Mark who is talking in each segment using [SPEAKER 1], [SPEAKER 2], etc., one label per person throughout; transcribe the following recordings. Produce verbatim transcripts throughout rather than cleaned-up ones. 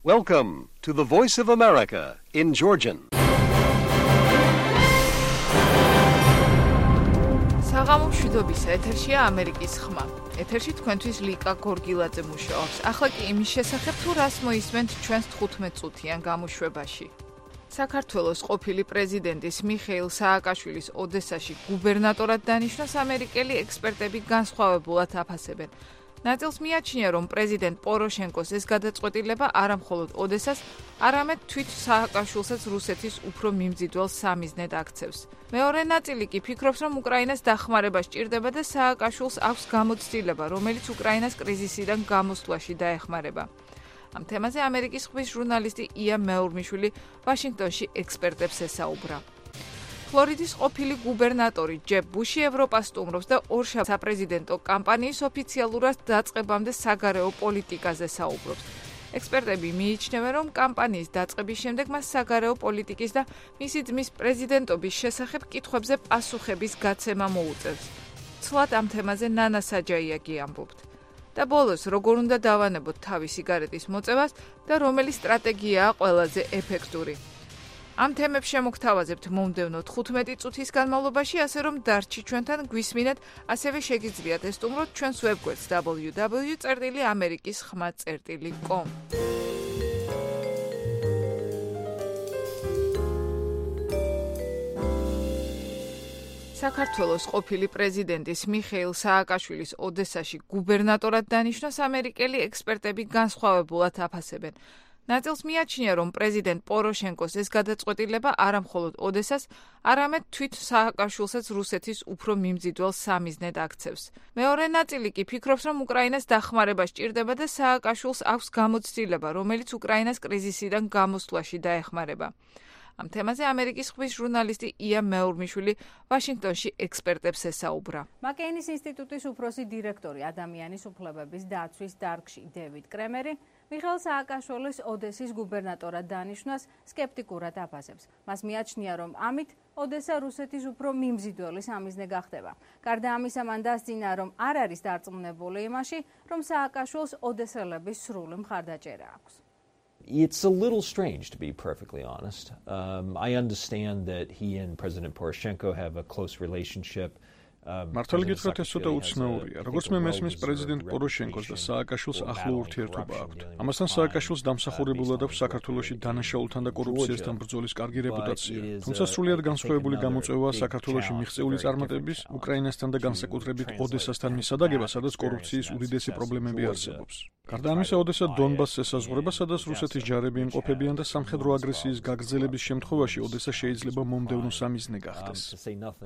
[SPEAKER 1] Welcome to the Voice of America in Georgian.
[SPEAKER 2] საღამო მშვიდობისა, ეთერშია ამერიკის ხმა. ეთერში თქვენთვის ლიკა გორგილაძე მუშაობს. ახლა კი იმის შესახებ თუ რას მოისმენთ ჩვენს თხუთმეტ წუთიან გამოშვებაში. საქართველოს ყოფილი პრეზიდენტის მიხეილ სააკაშვილის ოდესაში გუბერნატორად დანიშნოს ამერიკელი ექსპერტები განსხვავებულად აფასებენ. ნაწილს მიაჩნია, რომ პრეზიდენტ პოროშენკოს ეს გადაწყვეტილება არა მხოლოდ ოდესას, არამედ თვით სააკაშვილსაც რუსეთის უფრო მიმზიდველ სამიზნედ აქცევს. მეორე ნაწილი კი ფიქრობს, რომ უკრაინას დახმარება სჭირდება და სააკაშვილს აქვს გამოცდილება, რომელიც უკრაინას კრიზისიდან გამოსვლაში დაეხმარება. ამ თემაზე ამერიკის ხმის ჟურნალისტი ია მეურმიშვილი ვაშინგტონში ექსპერტებს ესაუბრა. ფლორიდის ყოფილი გუბერნატორი ჯებ ბუში ევროპას სტუმრობს და ორშაბათს საპრეზიდენტო კამპანიის ოფიციალურად დაწყებამდე საგარეო პოლიტიკაზე საუბრობს. ექსპერტები მიიჩნევენ, რომ კამპანიის დაწყების შემდეგ მას საგარეო პოლიტიკის და მისი ძმის პრეზიდენტობის შესახებ კითხვებზე პასუხების გაცემა მოუწევს. ცვლად ამ თემაზე ნანა საჯაიაგი ამბობთ. და ბოლოს, როგორ უნდა დავანებოთ თავი სიგარეტის მოწევას და რომელი სტრატეგიაა ყველაზე ეფექტური. ამ თემებს შემოგთავაზებთ მომდევნო თხუთმეტი წუთის განმავლობაში, ასე რომ დარჩი ჩვენთან გვისმინეთ, ასევე შეგიძლიათ ესტუმროთ ჩვენს ვებგვერდს double-u double-u წერტილი ამერიკის ხმა წერტილი com. საქართველოს ყოფილი პრეზიდენტის მიხეილ სააკაშვილის ოდესაში გუბერნატორად დანიშნოს ამერიკელი ექსპერტები განსხვავებულად აფასებენ. ნაწილს მიაჩნია, რომ პრეზიდენტ პოროშენკოს ეს გადაწყვეტილება არა მხოლოდ ოდესას, არამედ თვით სააკაშვილსაც რუსეთის უფრო მიმზიდველ სამიზნედ აქცევს. მეორე ნაწილი კი ფიქრობს, რომ უკრაინას დახმარება სჭირდება და სააკაშვილს აქვს გამოცდილება, რომელიც უკრაინას კრიზისიდან გამოსვლაში დაეხმარება. ამ თემაზე ამერიკის ხმის ჟურნალისტი ია მეურმიშვილი ვაშინგტონში ექსპერტებს ესაუბრა.
[SPEAKER 3] მაკეინის ინსტიტუტის უფროსი დირექტორი ადამიანის უფლებების დაცვის დარგში დევიდ კრემერი მიხეილ სააკაშვილის ოდესის გუბერნატორად დანიშნვას სკეპტიკურად აფასებს. მას მიაჩნია, რომ ამით ოდესა რუსეთის უფრო მიმზიდველი სამიზნე გახდება. გარდა ამისა, მან დასძინა, რომ არ არის დარწმუნებული იმაში, რომ სააკაშვილს ოდესელების სრული მხარდაჭერა აქვს.
[SPEAKER 4] It's a little strange, to be perfectly honest. Um, I understand that he and President Poroshenko have a close relationship.
[SPEAKER 5] მართალი გითხრათ, ეს ცოტა უცნაურია. როგორც მე მესმის, პრეზიდენტ პოროშენკოს და სააკაშვილს ახლო ურთიერთობა აქვთ. ამასთან სააკაშვილს დამსახურებულად აქვს საქართველოში დანაშაულთან და კორუფციასთან ბრძოლის კარგი რეპუტაცია. თუმცა სრულიად განსხვავებული გამოწვევაა საქართველოში მიღწეული წარმატების, უკრაინასთან და განსაკუთრებით ოდესასთან მისადაგება, სადაც კორუფციის უდიდესი პრობლემები არსებობს. გარდა ამისა, ოდესა დონბასს ესაზღვრება, სადაც რუსეთის ჯარები იმყოფებიან და სამხედრო აგრესიის გაგრძელების შემთხვევაში ოდესა შეიძლება მომდევნო სამიზნე გახდეს.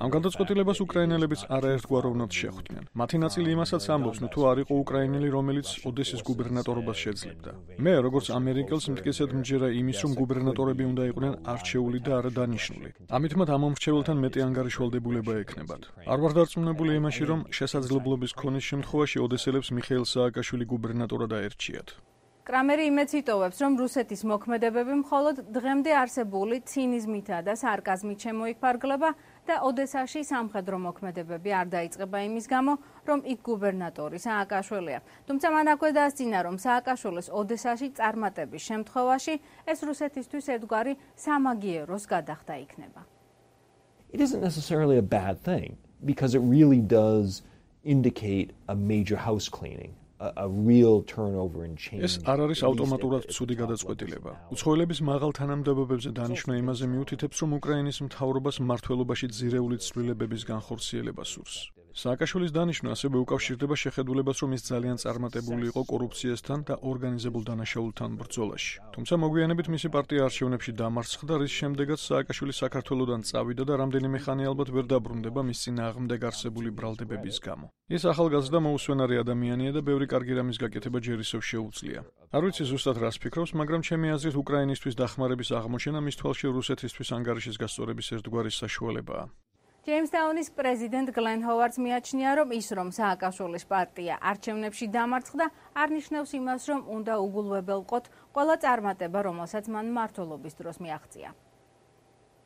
[SPEAKER 5] ამ გადაწყვეტილებას უკრაინელებიც არაერთგვაროვნად შეხვდნენ. მათი ნაწილი იმასაც ამბობს, თუ არ იყო უკრაინელი, რომელიც ოდესის გუბერნატორობას შეძლებდა. მე, როგორც ამერიკელს, მტკიცედ მჯერა იმის, რომ გუბერნატორები უნდა იყვნენ არჩეული და არა დანიშნული. ამით მათ ამ მომრჩეველთან მეტი ანგარიშვალდებულება ექნებათ. არ ვარ დარწმუნებული იმაში, რომ შესაძლებლობის ქონის შემთხვევაში ოდესელებს მიხეილ სააკაშვილი გუბერნატორად დაერჩიათ.
[SPEAKER 3] კრამერი იმედს იტოვებს, რომ რუსეთის მოქმედებები მხოლოდ დღემდე არსებული ცინიზმითა და სარკაზმით შემოიფარგლება და ოდესაში სამხედრო მოქმედებები არ დაიწყება იმის გამო, რომ იქ გუბერნატორი სააკაშვილია. თუმცა მან აქვე დასძინა, რომ სააკაშვილის ოდესაში წარმატების შემთხვევაში ეს რუსეთისთვის ერთგვარი სამაგიეროს გადახდა იქნება.
[SPEAKER 4] It isn't necessarily a bad thing, because it really does indicate a major house cleaning. A, a real turnover in change.
[SPEAKER 5] ეს არ არის ავტომატურად ცუდი გადაწყვეტილება. უცხოელების მაღალ თანამდებობებზე დანიშვნა იმაზე მიუთითებს, რომ უკრაინის მთავრობას მმართველობაში ძირეული ცვლილებების განხორციელება სურს. სააკაშვილის დანიშვნა ასევე უკავშირდება შეხედულებას, რომ ის ძალიან წარმატებული იყო კორუფციასთან და ორგანიზებულ დანაშაულთან ბრძოლაში. თუმცა მოგვიანებით მისი პარტია არჩევნებში დამარცხდა, რის შემდეგაც სააკაშვილი საქართველოდან წავიდა და რამდენიმე ხანი ალბათ ვერ დაბრუნდება მის წინააღმდეგ არსებული ბრალდებების გამო. ის ახალგაზრდა მოუსვენარი ადამიანია და ბევრი კარგი რამის გაკეთება ჯერ ისევ შეუძლია. არ ვიცი ზუსტად რას ფიქრობს, მაგრამ ჩემი აზრით უკრაინისთვის დახმარების აღმოჩენა მის თვალში რუსეთისთვის ანგარიშის გასწორების ერთგვარი საშუალებაა.
[SPEAKER 3] ჯეიმსტაუნის პრეზიდენტ გლენ ჰოვარდს მიაჩნია, რომ ის, რომ სააკაშვილის პარტია არჩევნებში დამარცხდა, არ ნიშნავს იმას, რომ უნდა უგულვებელყოთ ყველა წარმატება, რომელსაც მან მმართველობის დროს მიაღწია.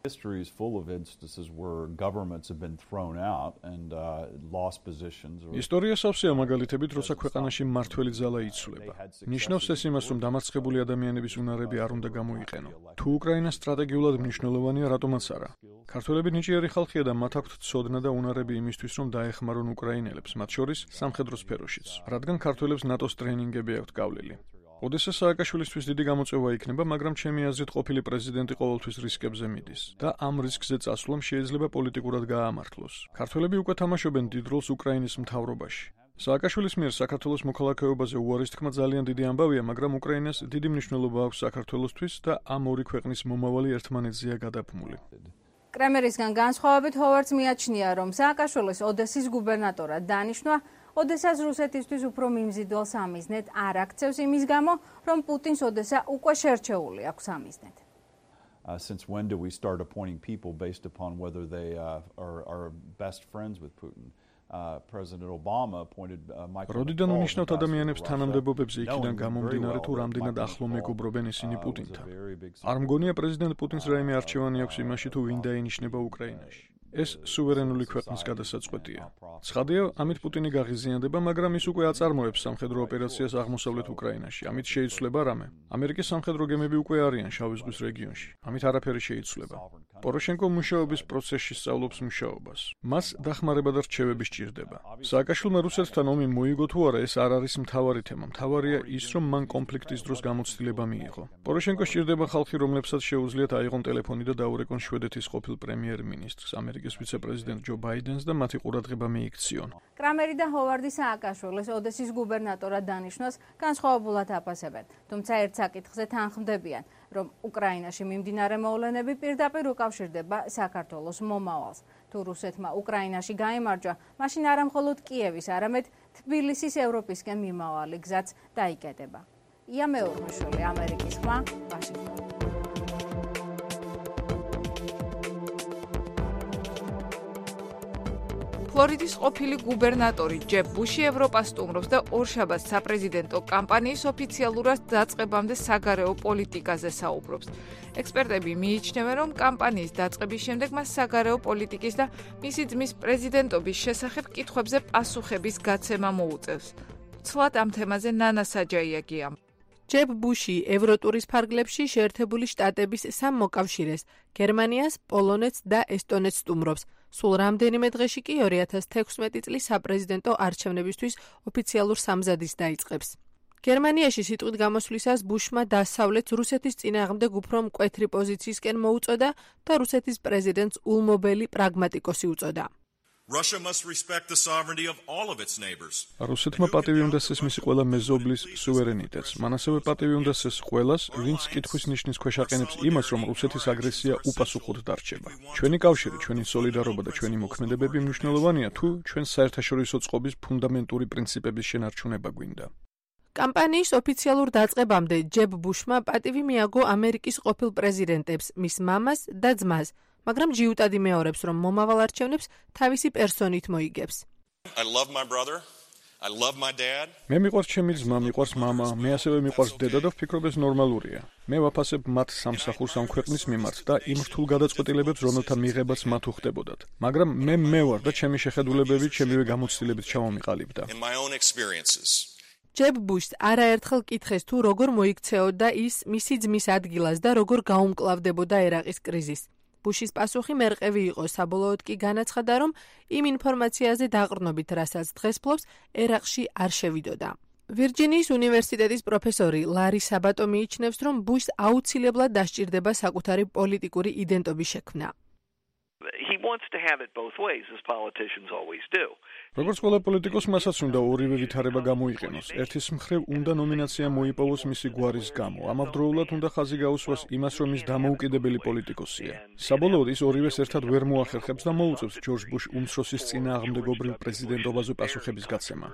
[SPEAKER 6] History is full of instances where governments have been thrown out and uh, lost positions.
[SPEAKER 5] ისტორია სავსეა მაგალითებით, როცა ქვეყანაში მმართველი ძალა იცვლება. ნიშნავს ეს იმას, რომ დამარცხებული ადამიანების უნარები არ უნდა გამოიყენო. თუ უკრაინა სტრატეგიულად მნიშვნელოვანია, რატომაც არა. ქართველები ნიჭიერი ხალხია და მათ აქვთ ცოდნა და უნარები იმისთვის, რომ დაეხმარონ უკრაინელებს, მათ შორის სამხედრო სფეროშიც, რადგან ქართველებს ნატოს ტრენინგები აქვთ გავლილი. ოდესა სააკაშვილისთვის დიდი გამოწვევა იქნება, მაგრამ ჩემი აზრით ყოფილი პრეზიდენტი ყოველთვის რისკებზე მიდის და ამ რისკზე წასვლამ შეიძლება პოლიტიკურად გაამართლოს. ქართველები უკვე თამაშობენ დიდ როლს უკრაინის მთავრობაში. სააკაშვილის მიერ საქართველოს მოქალაქეობაზე უარის თქმა ძალიან დიდი ამბავია, მაგრამ უკრაინას დიდი მნიშვნელობა აქვს საქართველოსთვის და ამ ორი ქვეყნის მომავალი ერთმანეთზეა გადაბმული.
[SPEAKER 3] კრემერისგან განსხვავებით ჰოვარდს მიაჩნია, რომ სააკაშვილის ოდესის გუბერნატორად დანიშნვა ოდესას რუსეთისთვის უფრო მიმზიდველ სამიზნედ არ აქცევს იმის გამო, რომ პუტინს ოდესა უკვე შერჩეული აქვს სამიზნედ.
[SPEAKER 6] Uh, since when do we start appointing people based upon whether they uh, are, are best friends with Putin? Uh, President Obama appointed uh, Michael
[SPEAKER 5] როდიდან უნიშნავთ ადამიანებს თანამდებობებზე იქიდან გამომდინარე თუ რამდენად ახლო მეგობრობენ ისინი პუტინთან. არ მგონია პრეზიდენტ პუტინს რაიმე არჩევანი აქვს იმაში თუ ვინ დაინიშნება უკრაინაში. ეს სუვერენული ქვეყნის გადასაწყვეტია. ცხადია, ამით პუტინი გაღიზიანდება, მაგრამ ის უკვე აწარმოებს სამხედრო ოპერაციას აღმოსავლეთ უკრაინაში. ამით შეიცვლება რამე. ამერიკის სამხედრო გემები უკვე არიან შავი ზღვის რეგიონში. ამით არაფერი შეიცვლება. პოროშენკო მუშაობის პროცესში სწავლობს მუშაობას. მას დახმარება და რჩევები სჭირდება. სააკაშვილმა რუსეთთან ომი მოიგო თუ არა, ეს არ არის მთავარი თემა. მთავარია ის, რომ მან კონფლიქტის დროს გამოცდილება მიიღო. პოროშენკო სჭირდება ხალხი, რომლებსაც შეუძლიათ აიღონ ტელეფონი და დაურეკონ შვედეთის ყოფილ პრემიერ-მინისტრს, ამერიკის ვიცე-პრეზიდენტ ჯო ბაიდენს და მათი ყურადღება მიიქციონ.
[SPEAKER 3] კრამერი და ჰოვარდი სააკაშვილის ოდესის გუბერნატორად დანიშნვას განსხვავებულად აფასებენ. თუმცა ერთ საკითხზე თანხმდებიან, რომ უკრაინაში მიმდინარე მოვლენები პირდაპირ უკავშირდება საქართველოს მომავალს. თუ რუსეთმა უკრაინაში გაიმარჯვა, მაშინ არა მხოლოდ კიევის, არამედ თბილისის ევროპისკენ მიმავალი გზაც დაიკეტება. ია მეურმეშვილი, ამერიკის ხმა, ვაშინგტონი.
[SPEAKER 2] ფლორიდის ყოფილი გუბერნატორი ჯებ ბუში ევროპას სტუმრობს და ორშაბათს საპრეზიდენტო კამპანიის ოფიციალურად დაწყებამდე საგარეო პოლიტიკაზე საუბრობს. ექსპერტები მიიჩნევენ, რომ კამპანიის დაწყების შემდეგ მას საგარეო პოლიტიკის და მისი ძმის პრეზიდენტობის შესახებ კითხვებზე პასუხების გაცემა მოუწევს. ცვლად ამ თემაზე ნანა საჯაიაგია.
[SPEAKER 7] ჯებ ბუში ევროტურის ფარგლებში შეერთებული შტატების სამ მოკავშირეს, გერმანიას, პოლონეთს და ესტონეთს სტუმრობს. სულ რამდენიმე დღეში კი ორი ათას თექვსმეტი წლის საპრეზიდენტო არჩევნებისთვის ოფიციალურ სამზადისს დაიწყებს. გერმანიაში სიტყვით გამოსვლისას ბუშმა დასავლეთს რუსეთის წინააღმდეგ უფრო მკვეთრი პოზიციისკენ მოუწოდა და რუსეთის პრეზიდენტს ულმობელი პრაგმატიკოსი უწოდა.
[SPEAKER 8] Russia must respect the sovereignty of all of its neighbors.
[SPEAKER 5] რუსეთმა პატივი უნდა სცემს ყველა მეზობლის სუვერენიტეტს. მან ასევე პატივი უნდა სცემს ყველას, ვინც კითხვის ნიშნის ქვეშ აყენებს იმას, რომ რუსეთის აგრესია უპასუხოდ დარჩება. ჩვენი კავშირი, ჩვენი სოლიდარობა და ჩვენი მოქმედებები მნიშვნელოვანია, თუ ჩვენ საერთაშორისო წყობის ფუნდამენტური პრინციპების შენარჩუნება გვინდა.
[SPEAKER 7] კამპანიის ოფიციალურ დაწყებამდე ჯებ ბუშმა პატივი მიაგო ამერიკის ყოფილ პრეზიდენტებს, მის მამას და ძმას, მაგრამ ჯიუტადი მეორებს, რომ მომავალ არჩევნებს თავისი პერსონით მოიგებს.
[SPEAKER 8] I love my brother. I love my dad.
[SPEAKER 5] მე მიყვარს ჩემი ძმა, მიყვარს მამა, მე ასევე მიყვარს დედა და ვფიქრობ ეს ნორმალურია. მე ვაფასებ მათ სამსახურს ამ ქვეყნის მიმართ და იმ რთულ გადაწყვეტილებებს, რომელთა მიღებაც მათ უხდებოდათ. მაგრამ მე მე ვარ და ჩემი შეხედულებები ჩემივე გამოცდილებით ჩავამიყალიბდა.
[SPEAKER 8] In my own experiences.
[SPEAKER 7] ჯებ ბუშს არაერთხელ კითხეს თუ როგორ მოიქცეოდა ის მისი ძმის ადგილას და როგორ გაუმკლავდებოდა ერაყის კრიზისი. ბუშის პასუხი მერყევი იყო, საბოლოოდ კი განაცხადა, რომ იმ ინფორმაციაზე დაყრდნობით, რასაც დღეს ფლობს, ერაყში არ შევიდოდა. ვირჯინიის უნივერსიტეტის პროფესორი ლარი საბატო მიიჩნევს, რომ ბუშს აუცილებლად დასჭირდება საკუთარი პოლიტიკური იდენტობის შექმნა.
[SPEAKER 9] He wants to have it both ways, as politicians always do.
[SPEAKER 5] როგორც ყველა პოლიტიკოს მასაც უნდა ორივე ვითარება გამოიყენოს. ერთის მხრივ უნდა ნომინაცია მოიპოვოს მისი გვარის გამო. ამავდროულად უნდა ხაზი გაუსვას იმას, რომ ის დამოუკიდებელი პოლიტიკოსია. საბოლოოდ ის ორივეს ერთად ვერ მოახერხებს და მოუწევს ჯორჯ ბუშ უმცროსის წინააღმდეგობრივ პრეზიდენტობაზე პასუხების გაცემა.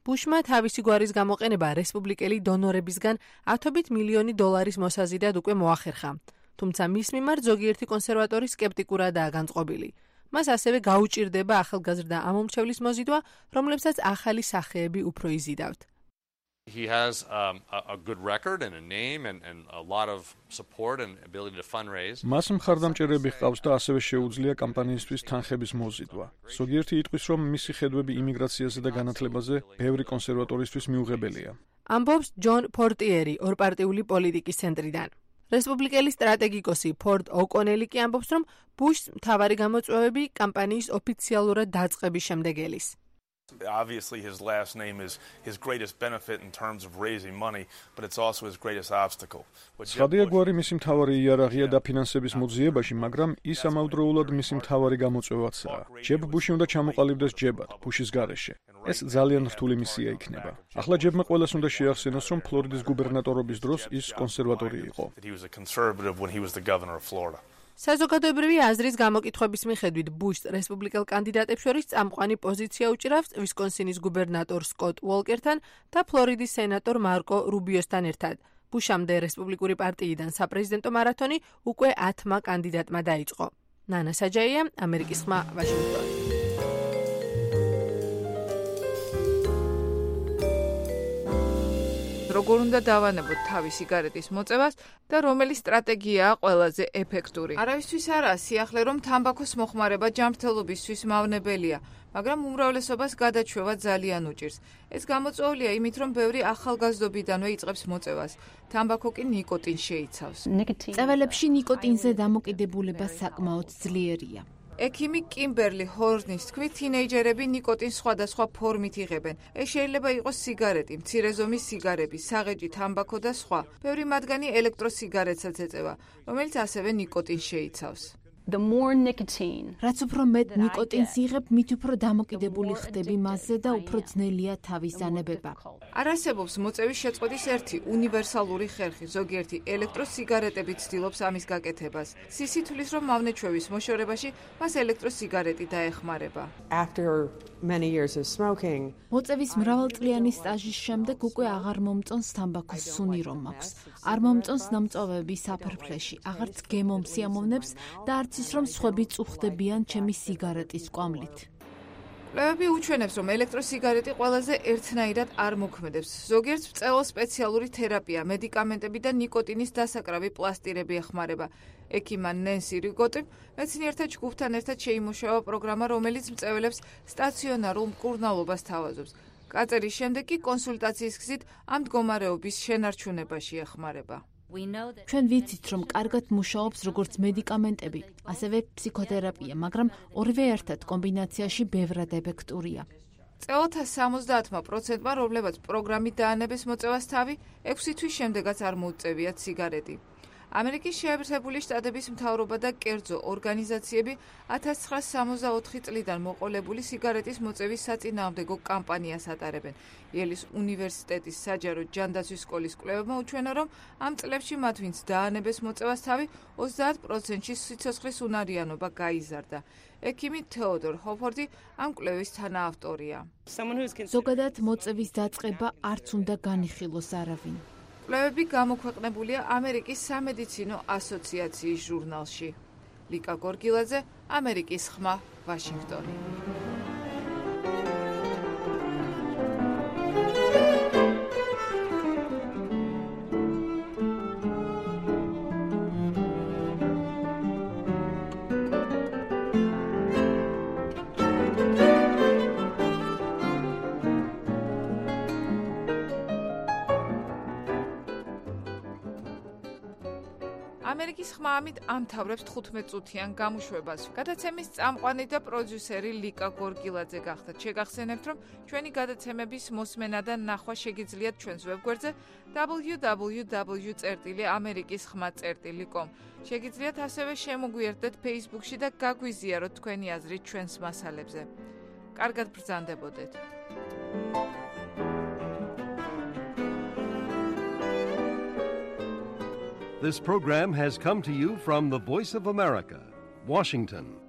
[SPEAKER 7] ბუშმა თავისი გვარის გამოყენება რესპუბლიკელი დონორებისგან ათობით მილიონი დოლარის მოსაზიდად უკვე მოახერხა. თუმცა მის მიმართ ზოგიერთი კონსერვატორი სკეპტიკურადაა განწყობილი. მას ასევე გაუჭირდება ახალგაზრდა ამომრჩევლის მოზიდვა, რომლებსაც ახალი სახეები უფრო იზიდავთ.
[SPEAKER 10] He has um, a, a good record and a name and, and a lot of support and ability to fundraise.
[SPEAKER 5] მას მხარდამჭერები ჰყავს და ასევე შეუძლია კამპანიისთვის თანხების მოზიდვა. ზოგიერთი იტყვის, რომ მისი ხედვები იმიგრაციაზე და განათლებაზე ბევრი კონსერვატორისთვის მიუღებელია.
[SPEAKER 7] ამბობს ჯონ პორტიერი ორპარტიული პოლიტიკის ცენტრიდან. რესპუბლიკელი სტრატეგიკოსი ფორდ ოკონელი კი ამბობს, რომ ბუშს მთავარი გამოწვევები კამპანიის ოფიციალურად დაწყების შემდეგ ელის.
[SPEAKER 11] Obviously, his last name is his greatest benefit in terms of raising money, but it's also his greatest obstacle.
[SPEAKER 5] Ცხადია გვარი მისი მთავარი იარაღია დაფინანსების მოძიებაში, მაგრამ ის ამავდროულად მისი მთავარი გამოწვევაცაა. ჯებ ბუში უნდა ჩამოყალიბდეს ჯებად, ბუშის გარეშე. ეს ძალიან რთული მისია იქნება. ახლა ჯებმა ყველას უნდა შეახსენოს, რომ ფლორიდის გუბერნატორობის დროს ის კონსერვატორი იყო.
[SPEAKER 11] He was a conservative when he was the governor of Florida.
[SPEAKER 7] საზოგადოებრივი აზრის გამოკითხვების მიხედვით ბუშს რესპუბლიკელ კანდიდატებს შორის წამყვანი პოზიცია უჭირავს ვისკონსინის გუბერნატორ სკოტ უოლკერთან და ფლორიდის სენატორ მარკო რუბიოსთან ერთად. ბუშამდე რესპუბლიკური პარტიიდან საპრეზიდენტო მარათონი უკვე ათმა კანდიდატმა დაიწყო. ნანა საჯაია, ამერიკის ხმა, ვაშინგტონი.
[SPEAKER 2] როგორ უნდა დავანებოთ თავი სიგარეტის მოწევას და რომელი სტრატეგიაა ყველაზე ეფექტური. არავისთვის არაა სიახლე, რომ თამბაქოს მოხმარება ჯანმრთელობისთვის მავნებელია, მაგრამ უმრავლესობას გადაჩვევა ძალიან უჭირს. ეს გამოწვეულია იმით, რომ ბევრი ახალგაზრდობიდანვე იწყებს მოწევას. თამბაქო კი ნიკოტინს შეიცავს.
[SPEAKER 12] წეველებში ნიკოტინზე დამოკიდებულება საკმაოდ ძლიერია.
[SPEAKER 2] ექიმი კიმბერლი ჰორნის თქმით, თინეიჯერები ნიკოტინს სხვადასხვა ფორმით იღებენ. ეს შეიძლება იყოს სიგარეტი, მცირე ზომის სიგარები, საღეჭი თამბაქო და სხვა. ბევრი მათგანი ელექტროსიგარეტსაც ეწევა, რომელიც ასევე ნიკოტინს შეიცავს.
[SPEAKER 12] რაც უფრო მეტ ნიკოტინს იღებ, მით უფრო დამოკიდებული ხდები მასზე და უფრო ძნელია თავის დანებება.
[SPEAKER 2] არ არსებობს მოწევის შეწყვეტის ერთი უნივერსალური ხერხი, ზოგიერთი ელექტროსიგარეტები ცდილობს ამის გაკეთებას. სისი თვლის, რომ მავნეჩვევის მოშორებაში მას ელექტროსიგარეტი დაეხმარება.
[SPEAKER 12] მოწევის მრავალწლიანი სტაჟის შემდეგ უკვე აღარ მომწონს თამბაქოს სუნი რომ მაქვს. არ მომწონს ნამწოვები საფრფლეში, აღარც გემომსიამოვნებს და არც ის რომ სხვები წუხდებიან ჩემი სიგარეტის კვამლით.
[SPEAKER 2] კვლევები უჩვენებს, რომ ელექტროსიგარეტი ყველაზე ერთნაირად არ მოქმედებს. ზოგიერთ მწევალს სპეციალური თერაპია, მედიკამენტები და ნიკოტინის დასაკრავი პლასტირები ეხმარება. ექიმა ნენსი რიგოტიმ მეცნიერთა ჯგუფთან ერთად შეიმუშავა პროგრამა, რომელიც მწეველებს სტაციონარულ მკურნალობას თავაზობს. გაწერის შემდეგ კი კონსულტაციის გზით ამ მდგომარეობის შენარჩუნებაში ეხმარება.
[SPEAKER 12] ჩვენ ვიცით, რომ კარგად მუშაობს როგორც მედიკამენტები, ასევე ფსიქოთერაპია, მაგრამ ორივე ერთად კომბინაციაში ბევრად ეფექტურია.
[SPEAKER 2] წევალთა სამოცდაათმა პროცენტმა, რომლებაც პროგრამით დაანებეს მოწევას თავი, ექვსი თვის შემდეგაც არ მოუწევიათ სიგარეტი. ამერიკის შეერთებული შტატების მთავრობა და კერძო ორგანიზაციები ათას ცხრაასი სამოცდაოთხი წლიდან მოყოლებული სიგარეტის მოწევის საწინააღმდეგო კამპანიას ატარებენ. იელის უნივერსიტეტის საჯარო ჯანდაცვის სკოლის კვლევებმა უჩვენა, რომ ამ წლებში მათ ვინც დაანებეს მოწევას თავი, ოცდაათ პროცენტში სიცოცხლის უნარიანობა გაიზარდა. ექიმი თეოდორ ჰოფორდი ამ კვლევის თანაავტორია.
[SPEAKER 12] ზოგადად მოწევის დაწყება არც უნდა განიხილოს არავინ.
[SPEAKER 2] კვლევები გამოქვეყნებულია ამერიკის სამედიცინო ასოციაციის ჟურნალში. ლიკა გორგილაძე, ამერიკის ხმა, ვაშინგტონი. ამერიკის ხმა ამით ამთავრებს თხუთმეტ წუთიან გამოშვებას. გადაცემის წამყვანი და პროდიუსერი ლიკა გორგილაძე გახდათ. შეგახსენებთ, რომ ჩვენი გადაცემების მოსმენა და ნახვა შეგიძლიათ ჩვენს ვებგვერდზე დაბლიუ დაბლიუ დაბლიუ წერტილი ამერიკის ხმა წერტილი კომ. შეგიძლიათ ასევე შემოგვიერთდეთ Facebook-ში და გაგვიზიაროთ თქვენი აზრი ჩვენს მასალებზე. კარგად ბრძანდებოდეთ.
[SPEAKER 1] This program has come to you from the Voice of America, Washington.